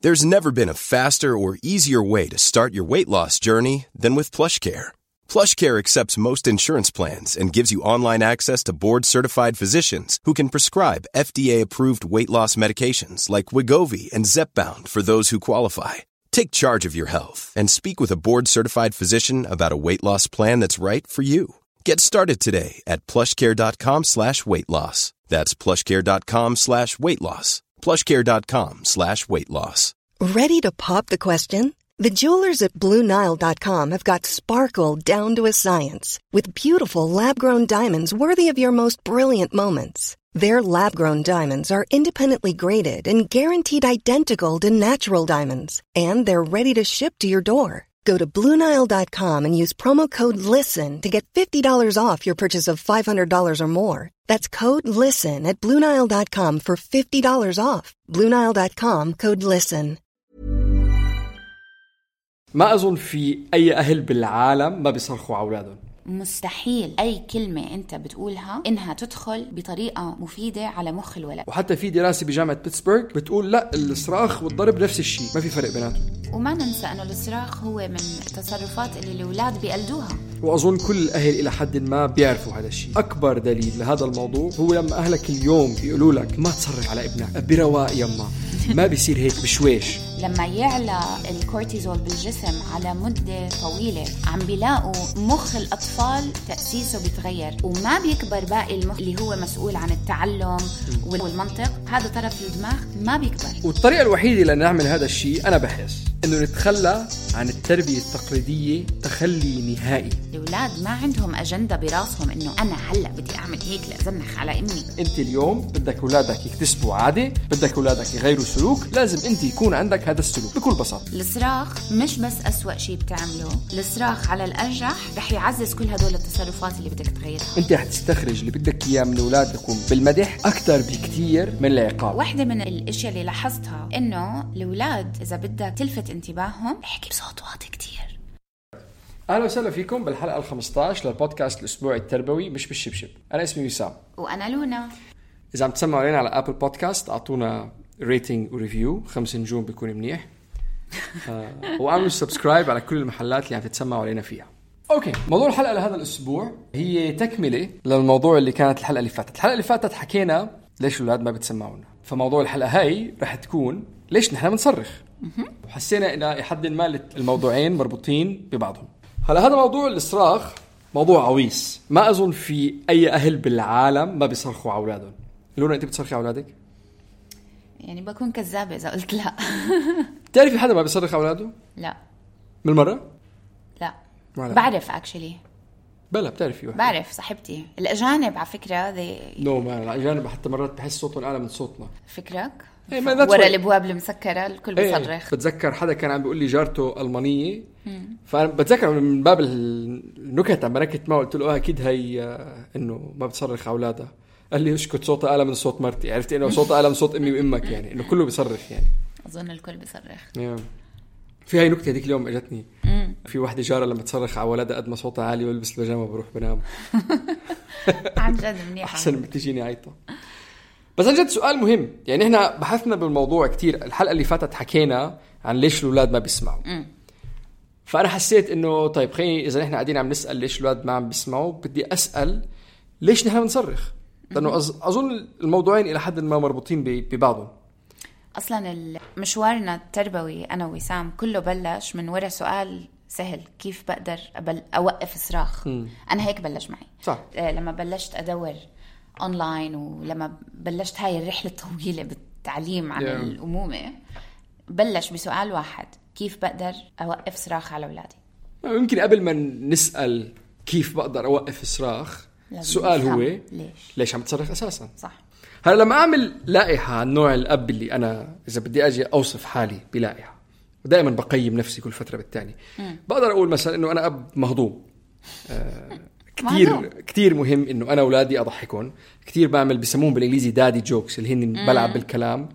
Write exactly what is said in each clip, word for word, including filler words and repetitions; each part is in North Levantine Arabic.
There's never been a faster or easier way to start your weight loss journey than with PlushCare. PlushCare accepts most insurance plans and gives you online access to board-certified physicians who can prescribe F D A-approved weight loss medications like Wegovy and Zepbound for those who qualify. Take charge of your health and speak with a board-certified physician about a weight loss plan that's right for you. Get started today at plushcare.com slash weight loss. That's plushcare.com slash weight loss. plushcare.com slash weight loss. Ready to pop the question? The jewelers at Blue Nile dot com have got sparkle down to a science with beautiful lab-grown diamonds worthy of your most brilliant moments. Their lab-grown diamonds are independently graded and guaranteed identical to natural diamonds, and they're ready to ship to your door. Go to Blue Nile dot com and use promo code LISTEN to get fifty dollars off your purchase of five hundred dollars or more. That's code LISTEN at Blue Nile dot com for fifty dollars off. Blue Nile dot com, code LISTEN. ما أظن في أي أهل بالعالم ما بيصرخوا على أولادهم. مستحيل أي كلمة أنت بتقولها إنها تدخل بطريقة مفيدة على مخ الولد. وحتى في دراسة بجامعة بيتسبرغ بتقول لا، الصراخ والضرب نفس الشيء، ما في فرق بيناتهم. وما ننسى أنه الصراخ هو من التصرفات اللي الأولاد بيقلدوها. وأظن كل الأهل إلى حد ما بيعرفوا هذا الشيء. أكبر دليل لهذا الموضوع هو لما أهلك اليوم بيقولوا لك ما تصرخ على ابنك، برواق يما، ما بيصير هيك بشويش. لما يعلى الكورتيزول بالجسم على مدة طويلة عم بيلاقوا مخ الأطفال تأسيسه بيتغير وما بيكبر باقي المخ اللي هو مسؤول عن التعلم والمنطق. هذا طرف الدماغ ما بيكبر. والطريقة الوحيدة لنعمل هذا الشيء أنا بحس إنه نتخلى عن التربية التقليدية تخلي نهائي. الأولاد ما عندهم أجندة براسهم إنه أنا هلأ بدي أعمل هيك لأزنخ على أمي. أنت اليوم بدك أولادك يكتسبوا عادة، بدك أولادك يغيروا سلوك، لازم أنت يكون عندك هذا السلوك بكل بساطة. الصراخ مش بس أسوأ شيء بتعمله، الصراخ على الأرجح رح يعزز كل هدول التصرفات اللي بدك تغيرها. أنت رح تستخرج اللي بدك إياه من أولادكم بالمدح أكتر بكتير من العقاب. واحدة من الأشياء اللي لاحظتها إنه الأولاد إذا بدك تلفت انتباههم احكي بصوت واطي كتير. أهلا وسهلا فيكم بالحلقة الخمسة عشر للبودكاست الأسبوعي التربوي مش بالشبشب. أنا اسمي وسام وأنا لونا. إذا عم تسمعوا علينا على أبل بودكاست أعطونا ريتنج وريفيو، خمس نجوم بيكون منيح. آه، وعملوا سبسكرايب على كل المحلات اللي عم تتسمعوا علينا فيها. أوكي، موضوع الحلقة لهذا الأسبوع هي تكملة للموضوع اللي كانت الحلقة اللي فاتت. الحلقة اللي فاتت حكينا ليش الأولاد ما بتسمعونا، فموضوع الحلقة هاي رح تكون ليش نحن بنصرخ. وحسينا إن لحد ما الموضوعين مربوطين ببعضهم. هلا هذا موضوع الصراخ موضوع عويص، ما أظن في أي أهل بالعالم ما بيصرخوا على أولادهم. لونا أنت بتصرخي على أولادك؟ يعني بكون كذابة إذا قلت لا. تعرفي حدا ما بيصرخ على أولاده؟ لا. من المرة؟ لا. بعرف actually. بلا بتعرفي واحد. بعرف صاحبتي الأجانب على فكرة ذي. نو ما الأجانب حتى مرات بحس صوتهم أعلى من صوتنا. فكرك؟ إيه ورا الأبواب المسكرة الكل بيصرخ. إيه بتذكر حدا كان عم بيقول لي جارته ألمانية، فأنا بتذكر من باب النكت عم بركت ما قلت له أكيد هي إنه ما بتصرخ على أولادها. قال لي اسكت صوتها أعلى من صوت مرتي. عرفت إنه صوتها أعلى من صوت أمي وأمك، يعني إنه كله بيصرخ. يعني أظن الكل بيصرخ. yeah. في هاي نكتة هذيك اليوم اجتني. مم. في واحدة جارة لما تصرخ على ولدها قد ما صوتها عالي والبس البيجامة بروح بنام. عن جد منيحة. أحسن من تجيني عيطة. بس عن جد سؤال مهم، يعني إحنا بحثنا بالموضوع كتير. الحلقة اللي فاتت حكينا عن ليش الأولاد ما بيسمعوا. مم. فأنا حسيت إنه طيب خليني إذا إحنا قاعدين عم نسأل ليش الأولاد ما عم بيسمعوا، بدي أسأل ليش نحن بنصرخ، لأنه أظن الموضوعين إلى حد ما مربوطين ببعضهم. أصلاً مشوارنا التربوي أنا وسام كله بلش من وراء سؤال سهل: كيف بقدر أبل أوقف الصراخ؟ م. أنا هيك بلش معي. صح. لما بلشت أدور أونلاين ولما بلشت هاي الرحلة الطويلة بالتعليم عن yeah. الأمومة، بلش بسؤال واحد: كيف بقدر أوقف صراخ على أولادي؟ يمكن قبل ما نسأل كيف بقدر أوقف الصراخ، السؤال هو ليش ليش عم تصرخ أساساً؟ صح. هلا لما أعمل لائحة عن نوع الأب اللي أنا إذا بدي أجي أوصف حالي بلائحة، ودائما بقيم نفسي كل فترة بالتاني، بقدر أقول مثلا إنه أنا أب مهضوم. آه كتير كتير مهم إنه أنا أولادي أضحكون كتير، بعمل بسموهم بالإنجليزي دادي جوكس اللي هن بلعب بالكلام.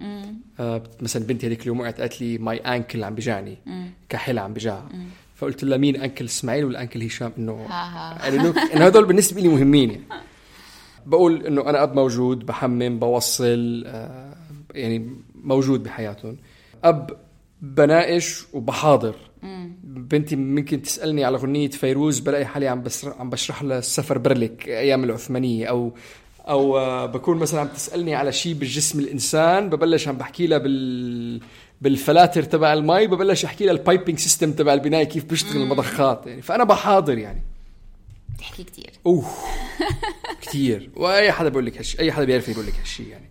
آه مثلا بنتي هذيك اليوم وقعت قالت لي ماي أنكل عم بجاني، كحلة عم بجاها، فقلت لها مين أنكل إسماعيل ولا أنكل هشام؟ إنه إنه هذول بالنسبة لي مهمين. يعني بقول إنه أنا أب موجود، بحمم، بوصل، آه يعني موجود بحياتهم. أب بناقش وبحاضر. بنتي ممكن تسألني على غنية فيروز بلاقي حالي عم بشرح عم بشرح لها السفر برلك أيام العثمانية، أو أو بكون مثلا عم تسألني على شيء بالجسم الإنسان ببلش عم بحكي لها بال بالفلاتر تبع المي، ببلش أحكي لها البايبينج سيستم تبع البناية كيف بيشتغل المضخات يعني. فأنا بحاضر يعني. تحكي كتير. أوه كتير. وأي حدا بيقول لك هالشيء، أي حدا بيعرف يقول لك هالشيء يعني.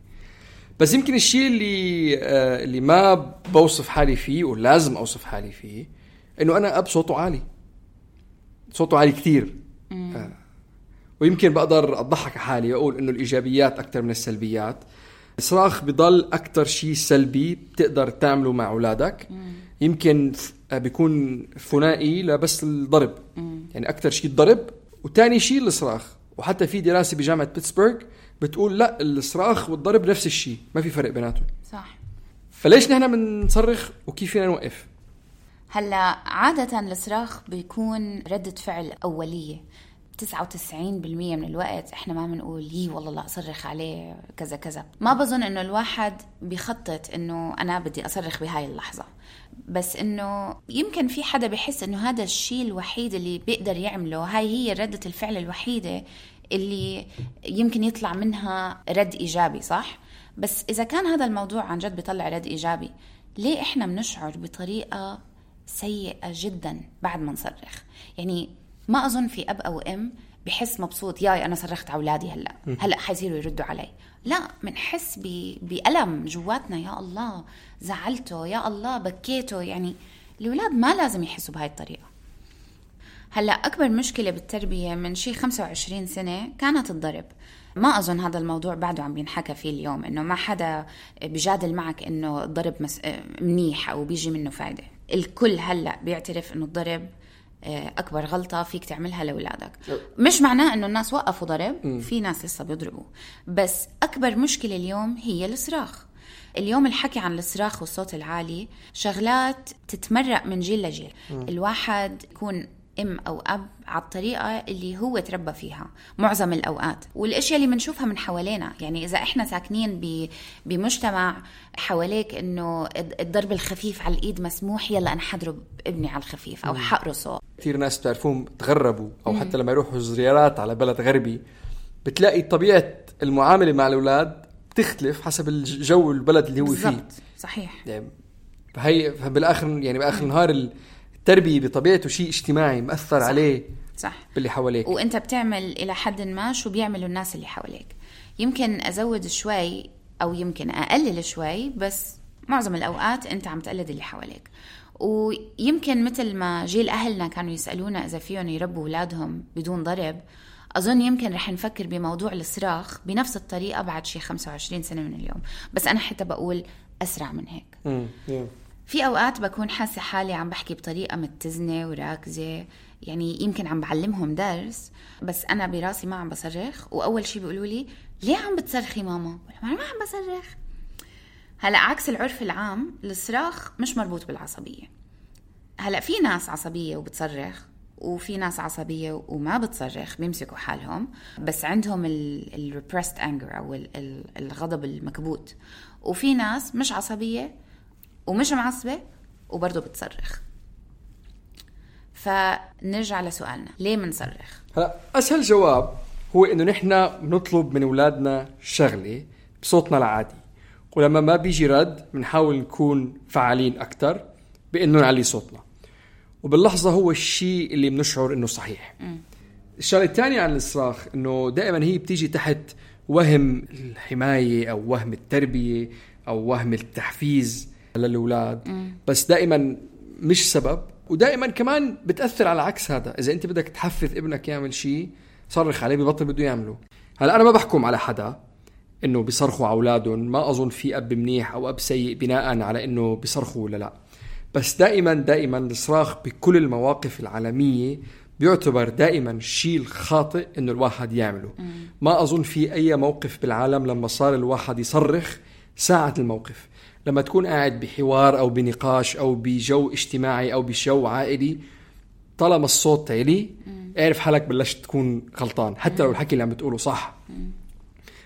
بس يمكن الشيء اللي آه اللي ما بوصف حالي فيه ولازم أوصف حالي فيه إنه أنا أب صوته عالي، صوته عالي كتير. آه. ويمكن بقدر أضحك حالي وأقول إنه الإيجابيات أكتر من السلبيات. الصراخ بضل أكتر شيء سلبي بتقدر تعمله مع أولادك. يمكن بيكون ثنائي لبس الضرب. يعني أكتر شيء الضرب وتاني شيء الصراخ. وحتى في دراسة بجامعة بيتسبرغ بتقول لا، الصراخ والضرب نفس الشيء، ما في فرق بيناتهم. صح. فليش نحن بنصرخ وكيف فينا نوقف؟ هلا عادة الصراخ بيكون ردة فعل أولية. تسعة وتسعين بالمية من الوقت احنا ما بنقول يي والله لا أصرخ عليه كذا كذا. ما بظن انه الواحد بيخطط انه انا بدي أصرخ بهاي اللحظة، بس انه يمكن في حدا بيحس انه هذا الشيء الوحيد اللي بيقدر يعمله، هاي هي ردة الفعل الوحيدة اللي يمكن يطلع منها رد إيجابي. صح؟ بس إذا كان هذا الموضوع عن جد بيطلع رد إيجابي، ليه إحنا بنشعر بطريقة سيئة جدا بعد ما نصرخ؟ يعني ما أظن في أب أو أم بحس مبسوط ياي أنا صرخت على أولادي هلأ هلأ حيصيروا يردوا علي. لا، منحس بألم جواتنا، يا الله زعلته، يا الله بكيته. يعني الأولاد ما لازم يحسوا بهاي الطريقة. هلأ أكبر مشكلة بالتربية من شي خمسة وعشرين سنة كانت الضرب. ما أظن هذا الموضوع بعده عم بينحكى فيه اليوم، إنه ما حدا بيجادل معك إنه الضرب مس... منيح أو بيجي منه فايدة. الكل هلأ بيعترف إنه الضرب أكبر غلطة فيك تعملها لأولادك. مش معناه إنه الناس وقفوا ضرب، في ناس لسه بيضربوا، بس أكبر مشكلة اليوم هي الصراخ. اليوم الحكي عن الصراخ والصوت العالي شغلات تتمرق من جيل لجيل. الواحد يكون أم أو أب على الطريقة اللي هو تربى فيها معظم الأوقات، والأشياء اللي منشوفها من حوالينا. يعني إذا إحنا ساكنين بمجتمع حواليك إنه الضرب الخفيف على الإيد مسموح، يلا أنا حضرب ابني على الخفيف أو حقرصه. كثير ناس بتعرفون تغربوا أو مم. حتى لما يروحوا زيارات على بلد غربي بتلاقي طبيعة المعاملة مع الأولاد بتختلف حسب الجو البلد اللي هو بالزبط. فيه. صحيح. يعني هي بالآخر يعني بآخر النهار التربية بطبيعته شيء اجتماعي مأثر صح. عليه صح. باللي حواليك، وانت بتعمل الى حد ما شو بيعملوا الناس اللي حواليك. يمكن ازود شوي او يمكن اقلل شوي، بس معظم الاوقات انت عم تقلد اللي حواليك. ويمكن مثل ما جيل اهلنا كانوا يسالونا اذا فيهم يربوا اولادهم بدون ضرب، اظن يمكن رح نفكر بموضوع الصراخ بنفس الطريقه بعد شي خمسة وعشرين سنه من اليوم. بس انا حتى بقول اسرع من هيك. امم في أوقات بكون حاسة حالي عم بحكي بطريقة متزنة وراكزة، يعني يمكن عم بعلمهم درس بس أنا براسي ما عم بصرخ. وأول شي بيقولوا لي ليه عم بتصرخي ماما؟ ما عم بصرخ. هلأ عكس العرف العام، الصراخ مش مربوط بالعصبية. هلأ في ناس عصبية وبتصرخ، وفي ناس عصبية وما بتصرخ بيمسكوا حالهم، بس عندهم ال repressed anger أو الغضب المكبوت. وفي ناس مش عصبية ومش معصبة وبرضه بتصرخ. فنرجع لسؤالنا، ليه منصرخ؟ هلا أسهل جواب هو إنه نحن بنطلب من أولادنا شغلة بصوتنا العادي، ولما ما بيجي رد بنحاول نكون فعالين أكتر بإنه نعلي صوتنا، وباللحظة هو الشيء اللي بنشعر إنه صحيح. م. الشغلة الثانية عن الصراخ إنه دائما هي بتيجي تحت وهم الحماية أو وهم التربية أو وهم التحفيز للأولاد، م. بس دائما مش سبب. ودائما كمان بتأثر على عكس هذا. إذا أنت بدك تحفز ابنك يعمل شيء صرخ عليه ببطل بده يعمله. هلأ أنا ما بحكم على حدا إنه بيصرخوا على أولادهم، ما أظن في أب منيح أو أب سيء بناء على إنه بيصرخوا ولا لا. بس دائما دائما الصراخ بكل المواقف العالمية بيعتبر دائما الشيء الخاطئ إنه الواحد يعمله. م. ما أظن في أي موقف بالعالم لما صار الواحد يصرخ ساعة الموقف. لما تكون قاعد بحوار أو بنقاش أو بجو اجتماعي أو بجو عائلي، طالما الصوت عالي اعرف حالك بلشت تكون غلطان حتى لو الحكي اللي عم بتقوله صح.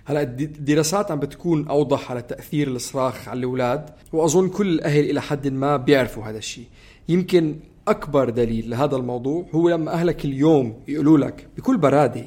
هلا الدراسات عم بتكون أوضح على تأثير الصراخ على الأولاد، وأظن كل الأهل إلى حد ما بيعرفوا هذا الشيء. يمكن أكبر دليل لهذا الموضوع هو لما أهلك اليوم يقولوا لك بكل برادة،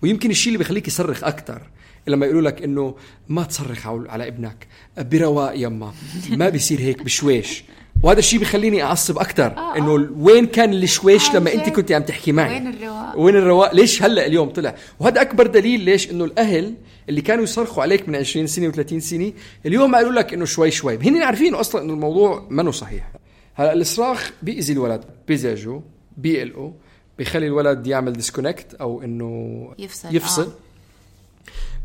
ويمكن الشيء اللي بيخليك يصرخ أكتر لما يقولوا لك إنه ما تصرخ على ابنك برواق يما، ما بيصير هيك بشويش. وهذا الشيء بيخليني أعصب أكتر، آه إنه آه. وين كان الشويش آه لما أنت كنت عم تحكي معي؟ وين الرواق؟ وين الرواق؟ ليش هلأ اليوم طلع؟ وهذا أكبر دليل ليش إنه الأهل اللي كانوا يصرخوا عليك من عشرين سنة وثلاثين سنة اليوم قالوا لك إنه شوي شوي، هن عارفين أصلا إنه الموضوع منه صحيح. هلا الصراخ بيأذي الولد، بيزعجه، بيقلقه، بيخلي الولد يعمل ديسكونكت أو إنه يفصل, يفصل.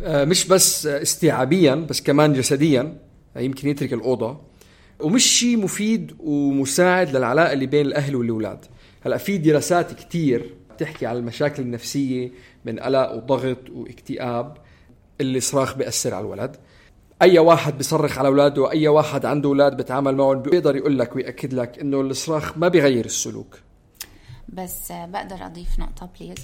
آه. آه مش بس استيعابيا بس كمان جسديا، يمكن يترك الأوضة، ومش شيء مفيد ومساعد للعلاقة اللي بين الأهل والأولاد. هلأ في دراسات كتير بتحكي على المشاكل النفسية من قلق وضغط واكتئاب اللي صراخ بيأثر على الولد. أي واحد بيصرخ على أولاده وأي واحد عنده أولاد بيتعامل معهم بيقدر يقول لك ويأكد لك إنه الصراخ ما بيغير السلوك. بس بقدر أضيف نقطة بليز.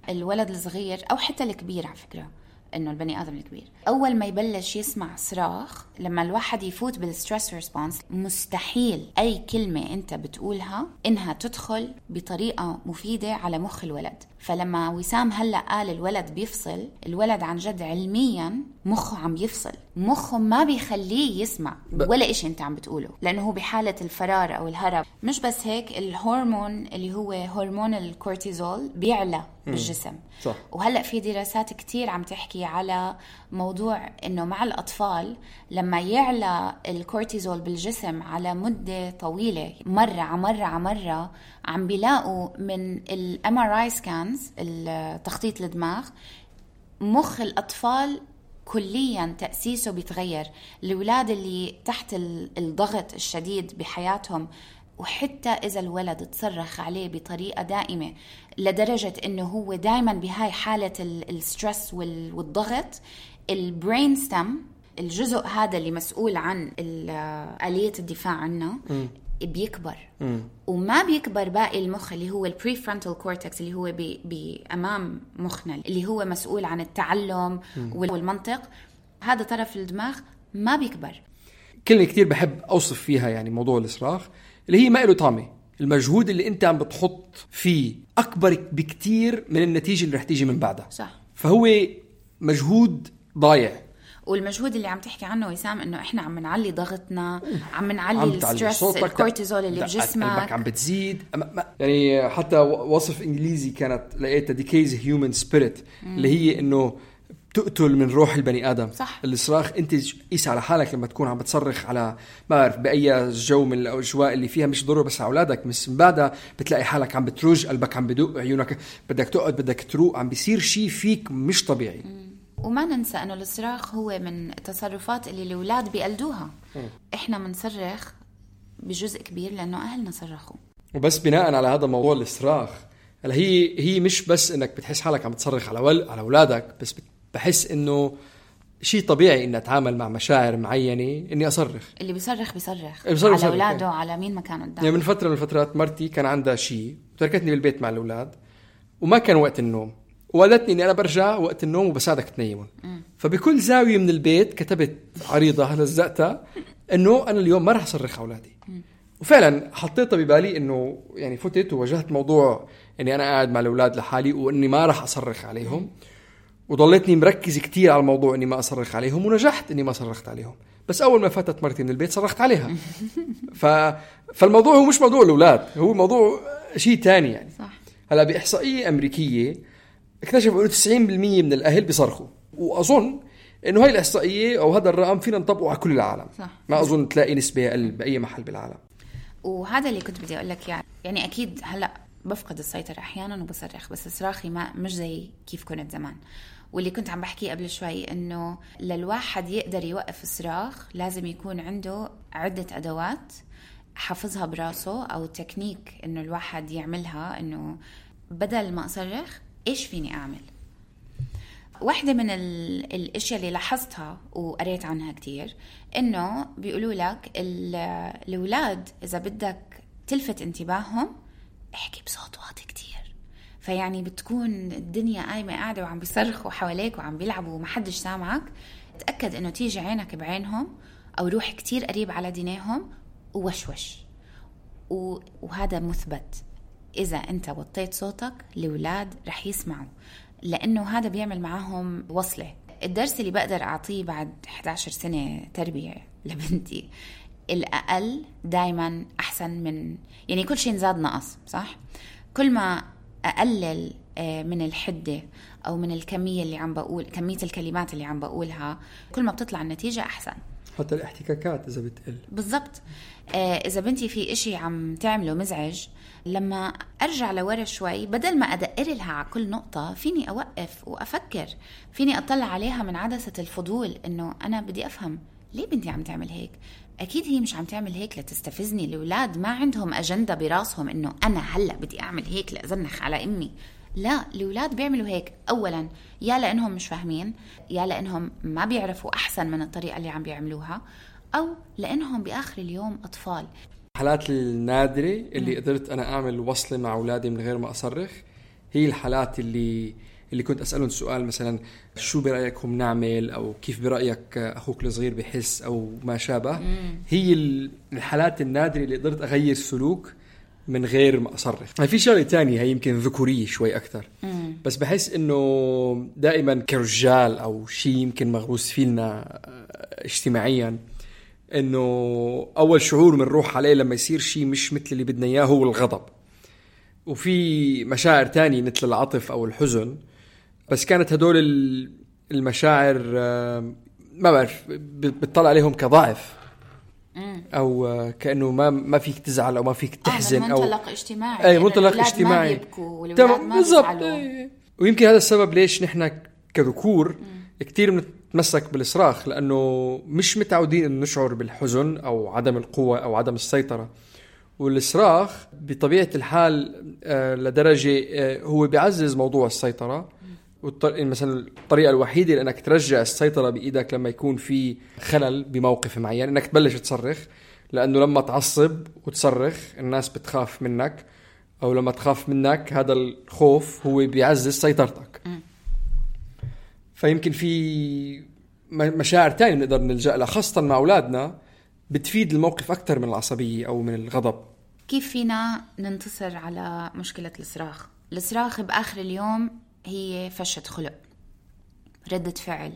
الولد الصغير أو حتى الكبير على فكرة، إنه البني آدم الكبير أول ما يبلش يسمع صراخ، لما الواحد يفوت بالستريس ريسبونس، مستحيل أي كلمة أنت بتقولها إنها تدخل بطريقة مفيدة على مخ الولد. فلما وسام هلأ قال الولد بيفصل، الولد عن جد علميا مخه عم يفصل، مخه ما بيخليه يسمع ولا إشي أنت عم بتقوله، لأنه هو بحالة الفرار أو الهرب. مش بس هيك، الهرمون اللي هو هرمون الكورتيزول بيعلى بالجسم. صح. وهلأ في دراسات كتير عم تحكي على موضوع إنه مع الأطفال لما يعلى الكورتيزول بالجسم على مدة طويلة، مرة عمرة عمرة، عم بيلاقوا من ال إم آر آي scans، التخطيط الدماغ، مخ الأطفال كليا تأسيسه بيتغير. الأولاد اللي تحت الضغط الشديد بحياتهم، وحتى إذا الولد تصرخ عليه بطريقة دائمة لدرجة إنه هو دائما بهاي حالة السترس والضغط، البرين ستام، الجزء هذا اللي مسؤول عن آلية الدفاع عنا، بيكبر. م. وما بيكبر باقي المخ اللي هو البريفرونتال كورتكس اللي هو بأمام مخنا اللي هو مسؤول عن التعلم م. والمنطق. هذا طرف الدماغ ما بيكبر. كلمة كتير بحب أوصف فيها يعني موضوع الإصراخ، اللي هي ما له طعمة. المجهود اللي أنت عم بتحط فيه أكبر بكتير من النتيجة اللي رح تيجي من بعدها. صح. فهو مجهود ضايع. والمجهود اللي عم تحكي عنه وسام، انه احنا عم نعلي ضغطنا، عم نعلي الستريس، الكورتيزول اللي بجسمك، قلبك عم بتزيد. يعني حتى وصف انجليزي كانت لقيتها ديكيز هيومن سبيريت، اللي هي انه تقتل من روح البني ادم. صح. الصراخ انت قيس على حالك لما تكون عم بتصرخ على ما بعرف باي جو من الاجواء اللي فيها، مش ضروري بس على اولادك، بس من بعدها بتلاقي حالك عم بترج، قلبك عم بدق، عيونك بدك تقعد، بدك تروق، عم بيصير شيء فيك مش طبيعي. م. وما ننسى أنه الصراخ هو من التصرفات اللي الأولاد بيقلدوها. م. إحنا منصرخ بجزء كبير لأنه أهلنا صرخوا. وبس بناء على هذا موضوع الصراخ، هي هي مش بس إنك بتحس حالك عم تصرخ على ول على أولادك، بس بحس إنه شيء طبيعي إني أتعامل مع مشاعر معينة إني أصرخ. اللي بيصرخ بيصرخ, بيصرخ على أولاده، على مين ما كان قدام. يعني من فترة من الفترات مرتي كان عندها شيء وتركتني بالبيت مع الأولاد، وما كان وقت النوم، وقالتني إني أنا برجع وقت النوم وبساعدك تنيمون. فبكل زاوية من البيت كتبت عريضة لزقتها إنه أنا اليوم ما رح أصرخ أولادي. وفعلا حطيتها ببالي إنه يعني فتت وواجهت موضوع إني أنا قاعد مع الأولاد لحالي وإني ما رح أصرخ عليهم، وضليتني مركز كتير على الموضوع إني ما أصرخ عليهم، ونجحت إني ما صرخت عليهم. بس أول ما فاتت مرتي من البيت صرخت عليها. ف... فالموضوع هو مش موضوع الأولاد، هو موضوع شيء تاني يعني. صح. هلا بإحصائية أمريكية اكتشفوا إنه تسعين بالمية من الأهل بيصرخوا، وأظن إنه هاي الإحصائية أو هذا الرقم فينا نطبقه على كل العالم. صح. ما أظن تلاقي نسبة أقل بأي محل بالعالم. وهذا اللي كنت بدي أقول لك يعني يعني أكيد هلأ بفقد السيطرة أحيانا وبصرخ، بس صراخي ما مش زي كيف كنت زمان. واللي كنت عم بحكي قبل شوي إنه للواحد يقدر يوقف الصراخ لازم يكون عنده عدة أدوات حافظها براسه، أو تكنيك إنه الواحد يعملها، إنه بدل ما أصرخ إيش فيني أعمل. واحدة من الاشياء اللي لاحظتها وقريت عنها كتير إنه بيقولوا لك الأولاد إذا بدك تلفت انتباههم احكي بصوت واطي كتير. فيعني بتكون الدنيا قايمة قاعدة وعم بيصرخوا حواليك وعم بيلعبوا ومحدش سامعك، تأكد انه تيجي عينك بعينهم او روح كتير قريب على دينيهم ووشوش. وهذا مثبت، اذا انت وطيت صوتك الأولاد رح يسمعوا، لانه هذا بيعمل معاهم وصلة. الدرس اللي بقدر اعطيه بعد إحدى عشرة سنة تربية لبنتي، الأقل دايما أحسن من، يعني كل شيء نزاد نقص صح؟ كل ما أقلل من الحدة أو من الكمية اللي عم بقول، كمية الكلمات اللي عم بقولها، كل ما بتطلع النتيجة أحسن. حتى الاحتكاكات إذا بتقل. بالضبط. إذا بنتي في إشي عم تعمله مزعج، لما أرجع لورا شوي بدل ما أدقر لها على كل نقطة، فيني أوقف وأفكر، فيني أطلع عليها من عدسة الفضول، إنه أنا بدي أفهم ليه بنتي عم تعمل هيك. أكيد هي مش عم تعمل هيك لتستفزني. الأولاد ما عندهم أجندة براسهم إنه أنا هلأ بدي أعمل هيك لأزنخ على أمي. لا، الأولاد بيعملوا هيك أولا يا لأنهم مش فاهمين، يا لأنهم ما بيعرفوا أحسن من الطريقة اللي عم بيعملوها، أو لأنهم بآخر اليوم أطفال. الحالات النادرة اللي م. قدرت أنا أعمل وصلة مع أولادي من غير ما أصرخ هي الحالات اللي اللي كنت أسألهم سؤال مثلا شو برأيكم نعمل، أو كيف برأيك أخوك الصغير بحس، أو ما شابه. مم. هي الحالات النادرة اللي قدرت أغير سلوك من غير ما أصرخ. في شغلة تانية هي يمكن ذكورية شوي أكتر، مم. بس بحس إنه دائما كرجال أو شيء يمكن مغروس فينا اجتماعيا، إنه أول شعور منروح عليه لما يصير شيء مش مثل اللي بدنا إياه هو الغضب. وفي مشاعر تانية مثل العطف أو الحزن، بس كانت هدول المشاعر ما بعرف بتطلع عليهم كضعف، او كأنه ما ما فيك تزعل او ما فيك تحزن، او منطلق اجتماعي. اي منطلق اجتماعي تمام بالضبط. ويمكن هذا السبب ليش نحن كذكور كتير بنتمسك بالصراخ، لانه مش متعودين ان نشعر بالحزن او عدم القوة او عدم السيطرة. والصراخ بطبيعة الحال لدرجة هو بيعزز موضوع السيطرة. مثلا الطريقة الوحيدة لأنك ترجع السيطرة بإيدك لما يكون في خلل بموقف معين إنك تبلش تصرخ، لأنه لما تعصب وتصرخ الناس بتخاف منك، أو لما تخاف منك هذا الخوف هو بيعزز سيطرتك. فيمكن في مشاعر تانية نقدر نلجأ لها خاصة مع أولادنا بتفيد الموقف أكتر من العصبية أو من الغضب. كيف فينا ننتصر على مشكلة الصراخ؟ الصراخ بآخر اليوم هي فشة خلق، ردة فعل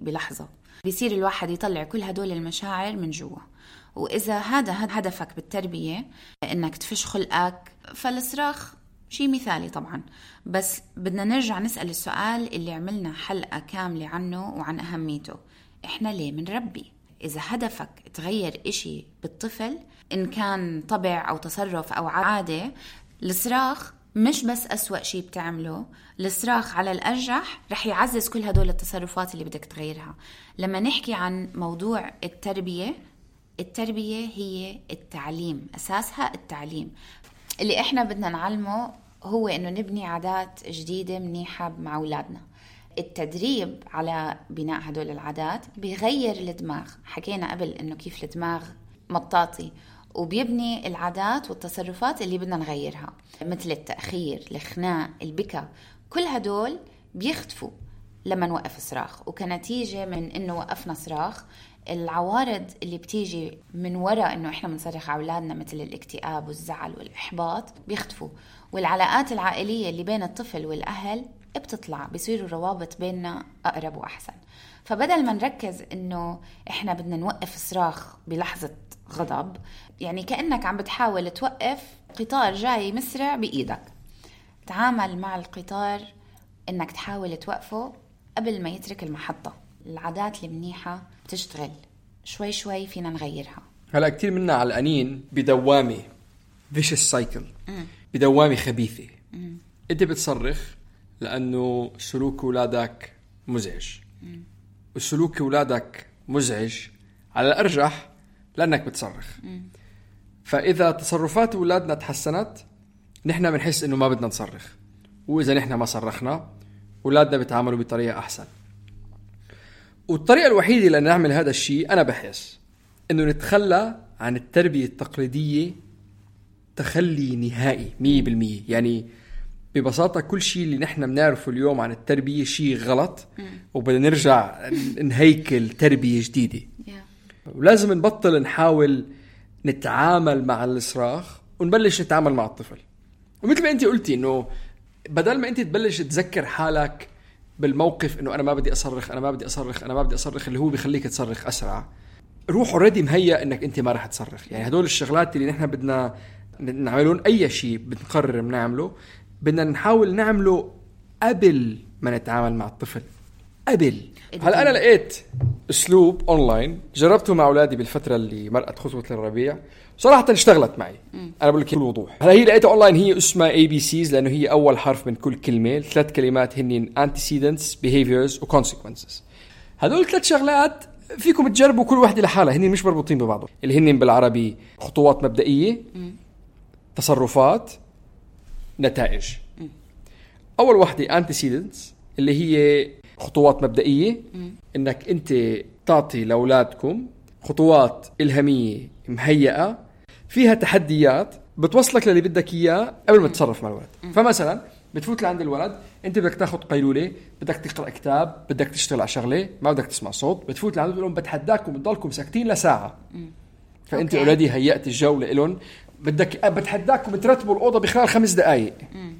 بلحظة، بيصير الواحد يطلع كل هدول المشاعر من جوا. وإذا هذا هدفك بالتربية إنك تفش خلقك، فالصراخ شيء مثالي طبعا. بس بدنا نرجع نسأل السؤال اللي عملنا حلقة كاملة عنه وعن أهميته، إحنا ليه منربي؟ إذا هدفك تغير إشي بالطفل، إن كان طبع أو تصرف أو عادة، الصراخ مش بس أسوأ شيء بتعمله. الصراخ على الأرجح رح يعزز كل هدول التصرفات اللي بدك تغيرها. لما نحكي عن موضوع التربية، التربية هي التعليم، أساسها التعليم. اللي إحنا بدنا نعلمه هو إنه نبني عادات جديدة منيحة مع أولادنا. التدريب على بناء هدول العادات بيغير الدماغ. حكينا قبل إنه كيف الدماغ مطاطي، وبيبني العادات والتصرفات اللي بدنا نغيرها، مثل التأخير، الخناق، البكاء. كل هدول بيختفوا لما نوقف صراخ. وكنتيجة من إنه وقفنا صراخ، العوارض اللي بتيجي من وراء إنه إحنا بنصرخ على أولادنا مثل الاكتئاب والزعل والإحباط بيختفوا. والعلاقات العائلية اللي بين الطفل والأهل بتطلع، بيصيروا روابط بيننا أقرب وأحسن. فبدل ما نركز إنه إحنا بدنا نوقف صراخ بلحظة غضب، يعني كأنك عم بتحاول توقف قطار جاي مسرع بإيدك، تعامل مع القطار إنك تحاول توقفه قبل ما يترك المحطة. العادات المنيحة بتشتغل شوي شوي، فينا نغيرها. هلأ كتير منا علقانين بدوامة vicious cycle، بدوامة خبيثة. مم. أنت بتصرخ لأنه سلوك أولادك مزعج، مم. وسلوك أولادك مزعج على الأرجح لأنك بتصرخ. مم. فإذا تصرفات أولادنا تحسنت، نحن بنحس إنه ما بدنا نصرخ، وإذا نحن ما صرخنا أولادنا بيتعاملوا بطريقة أحسن. والطريقة الوحيدة لأن نعمل هذا الشيء أنا بحس إنه نتخلى عن التربية التقليدية تخلي نهائي مية بالمية. يعني ببساطة كل شيء اللي نحن بنعرفه اليوم عن التربية شيء غلط، وبدنا نرجع نهيكل تربية جديدة. ولازم نبطل نحاول نتعامل مع الصراخ ونبلش نتعامل مع الطفل. ومثل ما انت قلتي انه بدل ما انت تبلش تذكر حالك بالموقف انه انا ما بدي اصرخ انا ما بدي اصرخ انا ما بدي اصرخ اللي هو بيخليك تصرخ اسرع، روح اوريدي مهيأ انك انت ما راح تصرخ. يعني هدول الشغلات اللي نحن بدنا نعملون، اي شيء بنقرر بنعمله بدنا نحاول نعمله قبل ما نتعامل مع الطفل. قبل هلا انا لقيت اسلوب اونلاين جربته مع اولادي بالفتره اللي مرقت خطوه الربيع، صراحه اشتغلت معي. م. انا بقول لك بكل وضوح، هلا هي لقيتها اونلاين، هي اسمها اي بي سيز لانه هي اول حرف من كل كلمه، ثلاث كلمات هن antecedents behaviors و consequences. هذول ثلاث شغلات فيكم تجربوا كل واحده لحالها، هن مش مربوطين ببعضهم، اللي هن بالعربي خطوات مبدئيه، م. تصرفات، نتائج. م. اول واحده antecedents اللي هي خطوات مبدئية، م. انك انت تعطي لاولادكم خطوات الهامية مهيئة فيها تحديات بتوصلك للي بدك اياه قبل ما تتصرف مع الولد. م. فمثلا بتفوت لعند الولد، انت بدك تاخد قيلولة، بدك تقرأ كتاب، بدك تشتغل على شغلة، ما بدك تسمع صوت، بتفوت لعنده بتقول لهم بتحداكم تضلكم ساكتين لساعة. م. فانت اوريدي هيأت الجو لإلهم، بدك بتحداكم ترتبوا الأوضة بخلال خمس دقائق. م.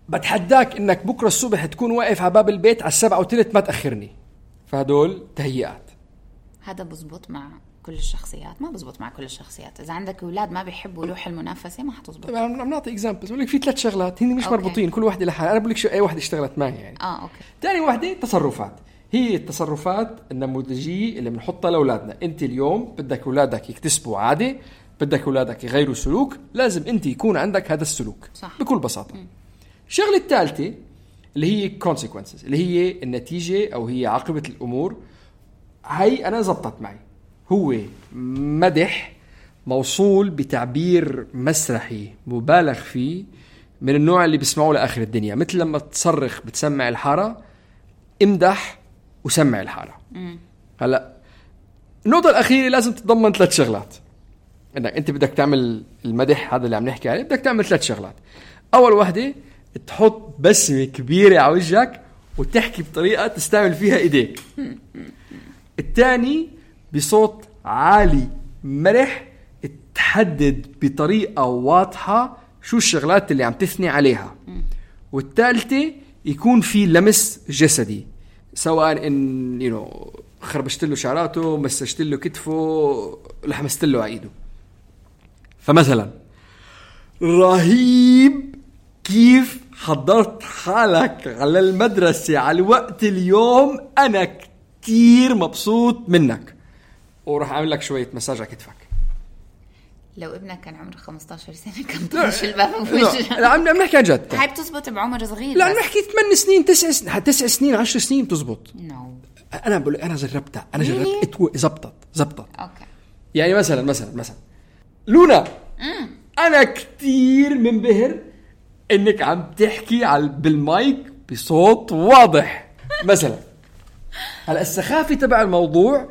بتحداك انك بكره الصبح تكون واقف على باب البيت على السبعة وثلث ما تأخرني. فهدول تهيئات. هذا بزبط مع كل الشخصيات؟ ما بزبط مع كل الشخصيات. اذا عندك اولاد ما بيحبوا روح المنافسه ما حتزبط. انا عم نعطي اكزامبلز، بقول لك في ثلاث شغلات هن مش أوكي. مربوطين، كل واحده لحالها. انا بقول لك شو اي واحده اشتغلت معي يعني. اه اوكي. ثاني واحده تصرفات، هي التصرفات النموذجيه اللي بنحطها لاولادنا. انت اليوم بدك اولادك يكتسبوا عاده، بدك اولادك يغيروا سلوك، لازم انت يكون عندك هذا السلوك. صح. بكل بساطه. م. الشغله الثالثه اللي هي consequences، اللي هي النتيجه او هي عاقبه الامور. هاي انا زبطت معي، هو مدح موصول بتعبير مسرحي مبالغ فيه من النوع اللي بيسمعوه لاخر الدنيا، مثل لما تصرخ بتسمع الحاره، امدح وسمع الحاره. م. هلا النقطه الاخيره لازم تتضمن ثلاث شغلات. انك انت بدك تعمل المدح هذا اللي عم نحكي عليه، بدك تعمل ثلاث شغلات. اول واحده تحط بسمة كبيرة على وجهك وتحكي بطريقة تستعمل فيها ايديك. الثاني بصوت عالي مرح تحدد بطريقة واضحة شو الشغلات اللي عم تثني عليها. والثالثة يكون في لمس جسدي، سواء ان يو خربشت له شعراته، مسجت له كتفه، لحمست له عيده. فمثلا رهيب كيف حضرت حالك على المدرسة على الوقت اليوم، أنا كتير مبسوط منك، وراح أعمل لك شوية مساج على كتفك. لو ابنك كان عمره خمسة عشر سنة كان طفش الباب بوجهه. لا عم نحكي عن جد. هاي بتزبط بعمر صغير. لا نحكي ثمان سنين تسع سنين تسع سنين عشر سنين بتزبط. no. أنا بقول أنا جربتها، أنا جربت زبطت زبطت. أوكي. يعني مثلا مثلا مثلا لونا، مم. أنا كتير منبهر انك عم تحكي على بالمايك بصوت واضح مثلا. هلا السخافه تبع الموضوع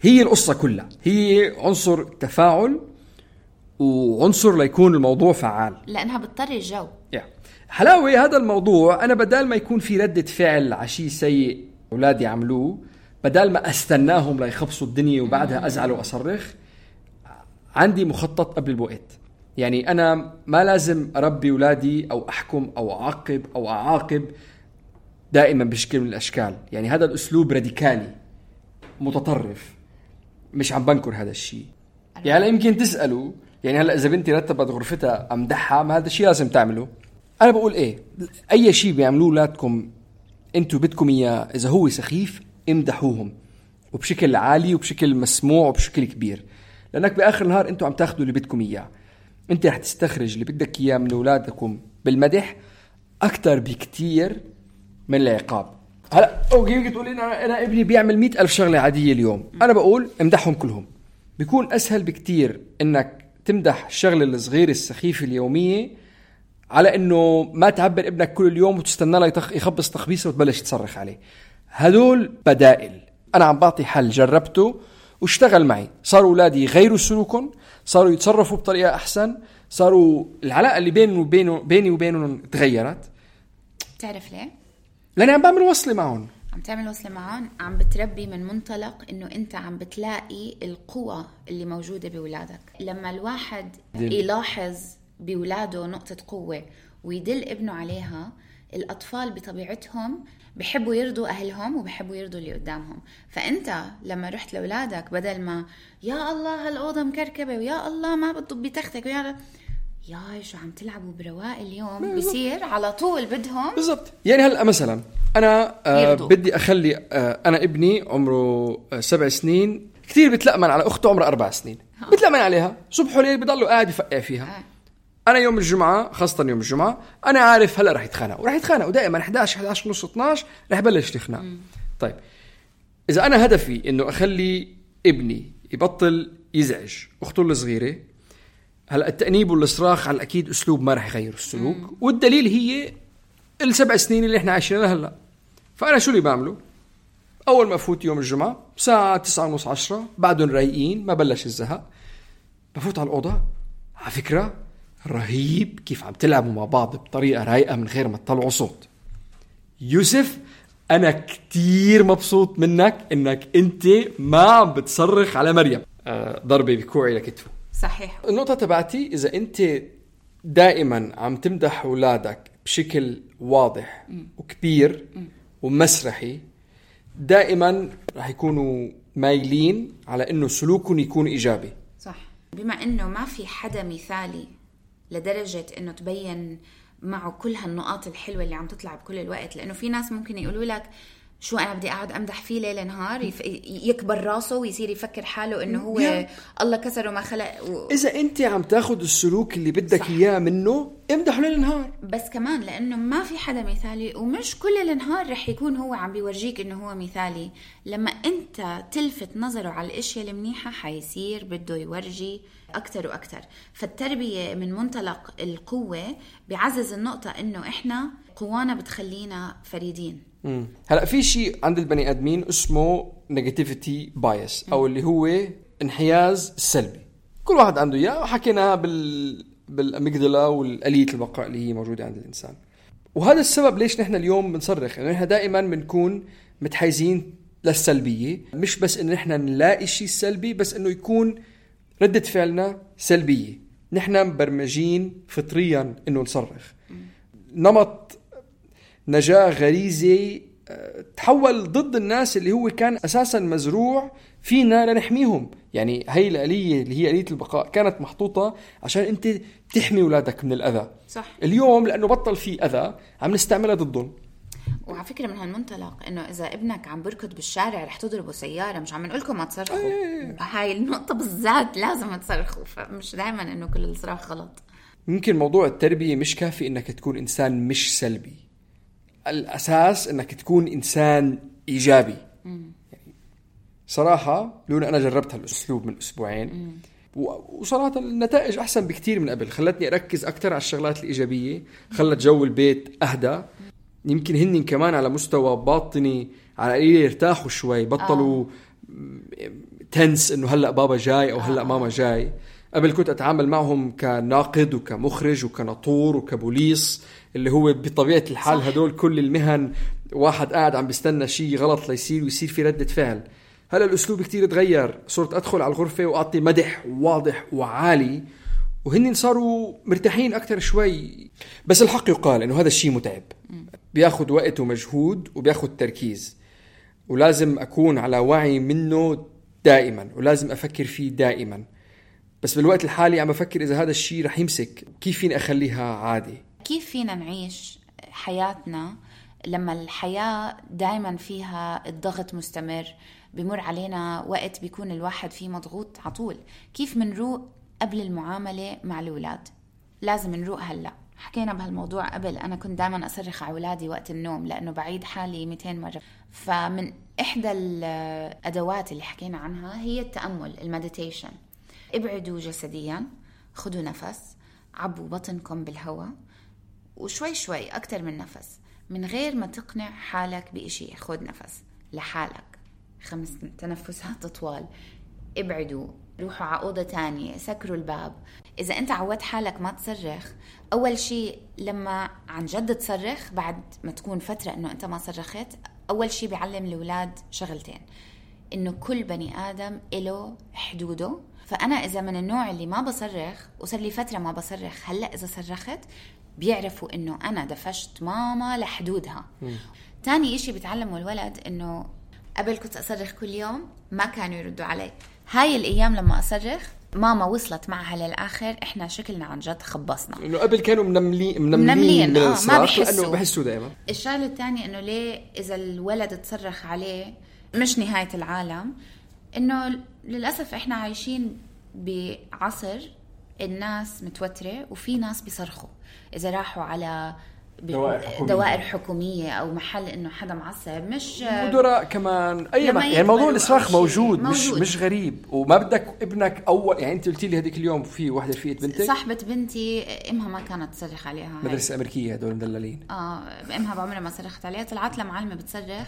هي القصه كلها، هي عنصر تفاعل وعنصر ليكون الموضوع فعال، لانها بتطري الجو. يعني حلاوه هذا الموضوع، انا بدال ما يكون في رده فعل على شيء سيء اولادي عملوه، بدال ما استناهم ليخبصوا الدنيا وبعدها ازعل واصرخ، عندي مخطط قبل الوقت. يعني أنا ما لازم أربي أولادي أو أحكم أو أعاقب أو أعاقب دائما بشكل من الأشكال. يعني هذا الأسلوب راديكالي متطرف، مش عم بنكر هذا الشيء. يعني هلا يمكن تسألوا، يعني هلا إذا بنتي رتبت غرفتها أمدحها، ما هذا الشيء لازم تعمله. أنا بقول إيه، أي شيء بيعملوه أولادكم أنتوا بدكم إياه، إذا هو سخيف امدحوهم وبشكل عالي وبشكل مسموع وبشكل كبير، لأنك بآخر النهار أنتوا عم تاخدوا اللي بدكم إياه. انت رح تستخرج اللي بدك اياه من اولادكم بالمدح اكثر بكتير من العقاب. هلا اوكي تقول انا انا ابني بيعمل مئة ألف شغله عاديه اليوم، انا بقول امدحهم كلهم. بيكون اسهل بكتير انك تمدح الشغله الصغيره السخيفه اليوميه على انه ما تعبر ابنك كل اليوم وتستنى له يخبص تخبيصه وتبلش تصرخ عليه. هدول بدائل. انا عم بعطي حل جربته واشتغل معي، صاروا اولادي يغيروا سلوكهم، صاروا يتصرفوا بطريقة أحسن، صاروا العلاقة اللي بينه وبينه بيني وبينهم تغيرت، بتعرف ليه؟ لأني عم بعمل وصلة معهم. عم تعمل وصلة معهم، عم بتربي من منطلق إنه أنت عم بتلاقي القوة اللي موجودة بولادك. لما الواحد دل. يلاحظ بولاده نقطة قوة ويدل ابنه عليها، الأطفال بطبيعتهم بحبوا يرضوا أهلهم وبحبوا يرضوا اللي قدامهم. فأنت لما رحت لأولادك بدل ما يا الله هالأوضة مكركبة ويا الله ما بتضب بتختك ويا يا شو عم تلعبوا برواق اليوم، بيصير على طول بدهم بالضبط. يعني هلأ مثلا أنا آه بدي أخلي آه أنا ابني عمره آه سبع سنين كتير بتلأمن على أخته عمره أربع سنين ها. بتلأمن عليها صبح وليل بضلوا قاعد يفقع فيها ها. أنا يوم الجمعة خاصة يوم الجمعة أنا عارف هلأ رح يتخانق ورح يتخانق ودائما إحدى عشر إحدى عشر ونص اثناشر رح يبلش يخنق. طيب إذا أنا هدفي إنه أخلي ابني يبطل يزعج أخته الصغيرة، هلا التأنيب والصراخ على الأكيد أسلوب ما رح يغير السلوك. مم. والدليل هي السبع سنين اللي إحنا عايشينها هلا. فأنا شو اللي بعمله؟ أول ما أفوت يوم الجمعة ساعة تسعة ونص عشرة بعدهم رايقين ما بلش الزهق، بفوت على الأوضة. على فكرة رهيب كيف عم تلعبوا مع بعض بطريقة رايقة من غير ما تطلعوا صوت. يوسف أنا كتير مبسوط منك إنك أنت ما عم بتصرخ على مريم. آه ضربة بكوعي لكتفه. صحيح. النقطة تبعتي إذا أنت دائما عم تمدح أولادك بشكل واضح م. وكبير م. ومسرحي، دائما رح يكونوا مايلين على إنه سلوكهم يكون إيجابي. صح. بما إنه ما في حدا مثالي لدرجة إنه تبين معه كل هالنقاط الحلوة اللي عم تطلع بكل الوقت، لأنه في ناس ممكن يقولوا لك شو أنا بدي أقعد أمدح فيه ليل نهار يف... يكبر راسه ويصير يفكر حاله إنه هو yeah. الله كسره ما خلق و... إذا أنت عم تاخد السلوك اللي بدك إياه منه امدحه ليل نهار. بس كمان لأنه ما في حدا مثالي ومش كل النهار رح يكون هو عم بيورجيك إنه هو مثالي. لما أنت تلفت نظره على الأشياء المنيحة حيصير بده يورجي أكتر وأكتر. فالتربية من منطلق القوة بيعزز النقطة إنه إحنا قوانا بتخلينا فريدين. مم. هلأ في شيء عند البني آدمين اسمه negativity bias أو اللي هو انحياز سلبي. كل واحد عنده إياه وحكينا بال بالأميجدلا والآلية البقاء اللي هي موجودة عند الإنسان. وهذا السبب ليش نحن اليوم بنصرخ، إنه نحن دائما بنكون متحيزين للسلبية. مش بس إنه نحن نلاقي شيء سلبي، بس إنه يكون ردة فعلنا سلبية. نحن مبرمجين فطريا إنه نصرخ. نمط نجاة غريزي تحول ضد الناس اللي هو كان أساسا مزروع فينا لنحميهم. يعني هاي الآلية اللي هي آلية البقاء كانت محطوطة عشان أنت تحمي أولادك من الأذى. صح. اليوم لأنه بطل فيه أذى عم نستعملها ضدهم. وعلى فكرة من هالمنطلق إنه إذا ابنك عم بركض بالشارع رح تضربه سيارة، مش عم نقولكم ما تصرخوا. أيه. هاي النقطة بالذات لازم تصرخوا، فمش دائما إنه كل الصراخ غلط. ممكن موضوع التربية مش كافي إنك تكون إنسان مش سلبي. الأساس إنك تكون إنسان إيجابي. يعني صراحة لولا أنا جربت هالأسلوب من أسبوعين وصراحة النتائج أحسن بكتير من قبل. خلتني أركز أكتر على الشغلات الإيجابية، خلت جو البيت أهدى. يمكن هنن كمان على مستوى باطني على قليل يرتاحوا شوي، بطلوا آه. تنس إنه هلأ بابا جاي أو هلأ آه. ماما جاي. قبل كنت أتعامل معهم كناقد وكمخرج وكناطور وكبوليس، اللي هو بطبيعة الحال صح. هدول كل المهن واحد قاعد عم بيستنى شيء غلط ليصير ويصير في ردة فعل. هلا الأسلوب كتير تغير، صرت أدخل على الغرفة وأعطي مدح واضح وعالي وهن صاروا مرتاحين أكتر شوي. بس الحق يقال إنه هذا الشيء متعب، بياخد وقت ومجهود وبياخد تركيز، ولازم أكون على وعي منه دائما ولازم أفكر فيه دائما. بس بالوقت الحالي عم بفكر إذا هذا الشيء رح يمسك، كيف فيني أخليها عادي؟ كيف فينا نعيش حياتنا لما الحياة دايما فيها الضغط مستمر، بمر علينا وقت بيكون الواحد فيه مضغوط عطول. كيف منروق قبل المعاملة مع الأولاد؟ لازم نروق هلأ. حكينا بهالموضوع قبل. أنا كنت دايما أصرخ على أولادي وقت النوم لأنه بعيد حالي مئتين مرة. فمن إحدى الأدوات اللي حكينا عنها هي التأمل، المديتيشن. ابعدوا جسديا، خدوا نفس، عبوا بطنكم بالهواء وشوي شوي أكتر من نفس من غير ما تقنع حالك بإشي. خد نفس لحالك خمس تنفسات طوال، ابعدوا روحوا على أوضة تانية، سكروا الباب. إذا أنت عودت حالك ما تصرخ، أول شيء لما عن جد تصرخ بعد ما تكون فترة إنه أنت ما صرخت، أول شيء بيعلم الأولاد شغلتين، إنه كل بني آدم إله حدوده. فأنا إذا من النوع اللي ما بصرخ وصار لي فترة ما بصرخ، هلأ إذا صرخت بيعرفوا إنه أنا دفشت ماما لحدودها. م. تاني إشي بتعلموا الولد إنه قبل كنت أصرخ كل يوم ما كانوا يردوا علي، هاي الأيام لما أصرخ ماما وصلت معها للآخر، إحنا شكلنا عن جد خبصنا. إنه قبل كانوا منملين منملين آه ما بيحسوا. بحسوا دائما. الشغلة الثانية إنه ليه إذا الولد تصرخ عليه مش نهاية العالم، إنه للأسف إحنا عايشين بعصر الناس متوترة وفي ناس بيصرخوا إذا راحوا على دوائر حكومية. دوائر حكومية أو محل إنه حدا معصب، مش مدراء كمان أي ما يعني موضوع الإصراخ موجود, موجود مش مش غريب. وما بدك ابنك أول يعني أنت قلتي لي هذيك اليوم في واحدة رفيقة بنتك صاحبة بنتي إمها ما كانت تصرخ عليها، مدرسة أمريكية هدول مدللين. آه إمها بعمرها ما صرخت عليها، طلعت لمعلمة بتصرخ،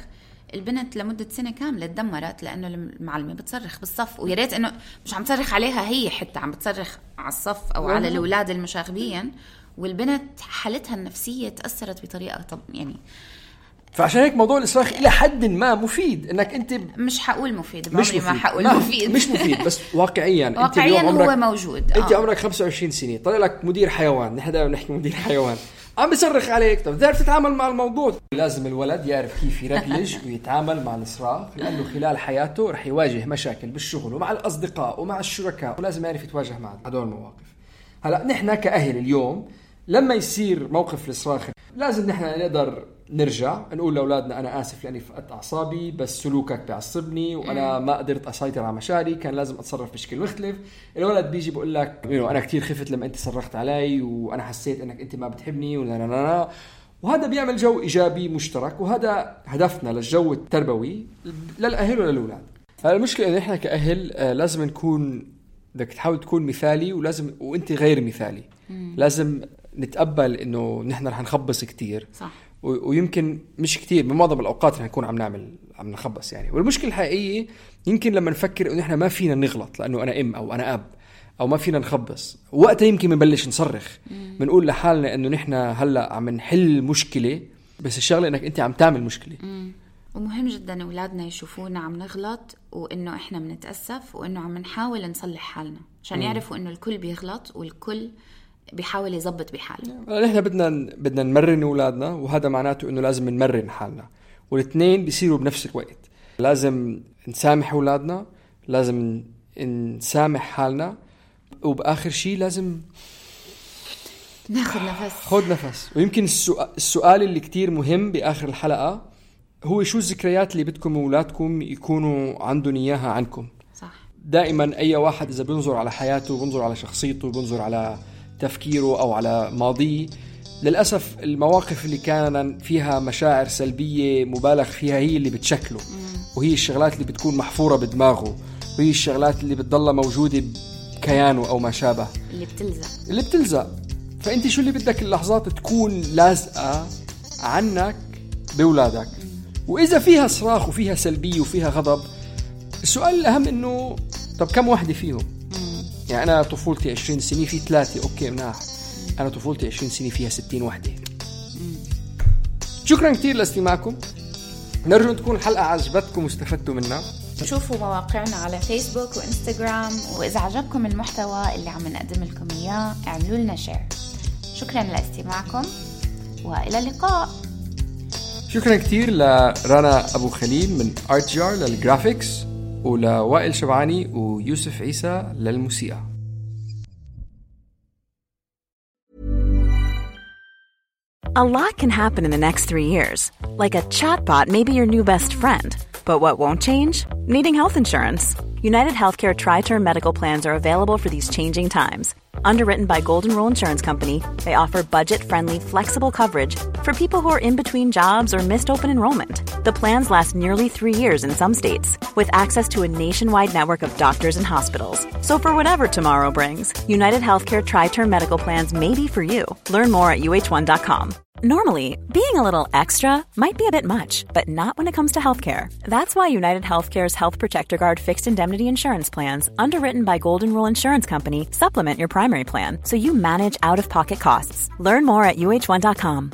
البنت لمدة سنة كاملة تدمرت لأنه المعلمة بتصرخ بالصف، ويا ريت إنه مش عم تصرخ عليها هي، حتى عم بتصرخ على الصف أو على الأولاد المشاغبين، والبنت حالتها النفسية تأثرت بطريقة طب يعني. فعشان هيك موضوع الإصراخ إلى حد ما مفيد، إنك أنت مش حقول مفيد، مش مفيد. ما حقول مفيد مش مفيد بس واقعيا واقعيا أنت هو موجود. أنت آه. عمرك خمسة وعشرين سنة، طلع لك مدير حيوان، نحن دائما نحكي مدير حيوان عم بيصرخ عليك، طب تعرف تتعامل مع الموضوع. لازم الولد يعرف كيف يركلج ويتعامل مع الإصراخ، لأنه خلال حياته رح يواجه مشاكل بالشغل ومع الأصدقاء ومع الشركاء، ولازم يعرف يتواجه مع هدول المواقف. هلأ نحن كأهل اليوم لما يصير موقف الإصراخ لازم نحن نقدر نرجع نقول لأولادنا أنا آسف لأني فقدت أعصابي، بس سلوكك بيعصبني وأنا ما قدرت أسيطر على مشاعري، كان لازم أتصرف بشكل مختلف. الولد بيجي بقول لك أنا كتير خفت لما أنت صرخت علي وأنا حسيت أنك أنت ما بتحبني ولا لا لا لا، وهذا بيعمل جو إيجابي مشترك، وهذا هدفنا للجو التربوي للأهل وللأولاد. فالمشكلة إن إحنا كأهل لازم نكون بدك تحاول تكون مثالي، ولازم وأنت غير مثالي. مم. لازم نتقبل إنه نحن رح نخبص كتير، صح. ويمكن مش كتير، بمعظم الأوقات رح نكون عم نعمل عم نخبص يعني. والمشكلة الحقيقية يمكن لما نفكر إنه إحنا ما فينا نغلط لأنه أنا أم أو أنا أب أو ما فينا نخبص، وقتها يمكن منبلش نصرخ، بنقول لحالنا إنه نحن هلأ عم نحل مشكلة، بس الشغلة إنك أنت عم تعمل مشكلة. مم. ومهم جدا أولادنا يشوفونا عم نغلط، وإنه إحنا بنتأسف، وإنه عم نحاول نصلح حالنا، عشان يعرفوا إنه الكل بيغلط والكل بيحاول يضبط بحاله. نحن بدنا بدنا نمرن أولادنا، وهذا معناته إنه لازم نمرن حالنا، والاثنين بيصيروا بنفس الوقت. لازم نسامح أولادنا، لازم نسامح حالنا، وبآخر شيء لازم ناخد نفس خد نفس. ويمكن السؤال, السؤال اللي كتير مهم بآخر الحلقة هو شو الذكريات اللي بدكم أولادكم يكونوا عندهم إياها عنكم. صح. دائما أي واحد إذا بينظر على حياته، بينظر على شخصيته، بينظر على تفكيره أو على ماضيه، للأسف المواقف اللي كان فيها مشاعر سلبية مبالغ فيها هي اللي بتشكله، وهي الشغلات اللي بتكون محفورة بدماغه، وهي الشغلات اللي بتضلها موجودة بكيانه أو ما شابه، اللي بتلزق اللي بتلزق. فأنت شو اللي بدك اللحظات تكون لازقة عنك بأولادك؟ وإذا فيها صراخ وفيها سلبية وفيها غضب، السؤال الأهم إنه طب كم واحدة فيهم؟ يعني أنا طفولتي عشرين سنة في ثلاثة، أوكي مناح. أنا طفولتي عشرين سنة فيها ستين واحدة. شكرا كتير لاستماعكم، نرجو أن تكون الحلقة عجبتكم واستفدتوا منها. شوفوا مواقعنا على فيسبوك وإنستغرام، وإذا عجبكم المحتوى اللي عم نقدم لكم إياه اعملوا لنا شير. شكرا لاستماعكم وإلى اللقاء. شكرا كتير لرانا أبو خليل من آرت جار للجرافيكس، ولوائل شبعاني ويوسف عيسى للموسيقى. A lot can happen in the next three years. Like a chatbot may be your new best friend. But what won't change? Needing health insurance. United Healthcare Tri-Term Medical Plans are available for these changing times. Underwritten by Golden Rule Insurance Company, they offer budget-friendly, flexible coverage for people who are in between jobs or missed open enrollment. The plans last nearly three years in some states, with access to a nationwide network of doctors and hospitals. So for whatever tomorrow brings, United Healthcare Tri-Term Medical Plans may be for you. Learn more at U H one dot com. Normally, being a little extra might be a bit much, but not when it comes to healthcare. That's why United Healthcare's Health Protector Guard fixed indemnity insurance plans, underwritten by Golden Rule Insurance Company, supplement your primary plan so you manage out-of-pocket costs. Learn more at U H one dot com.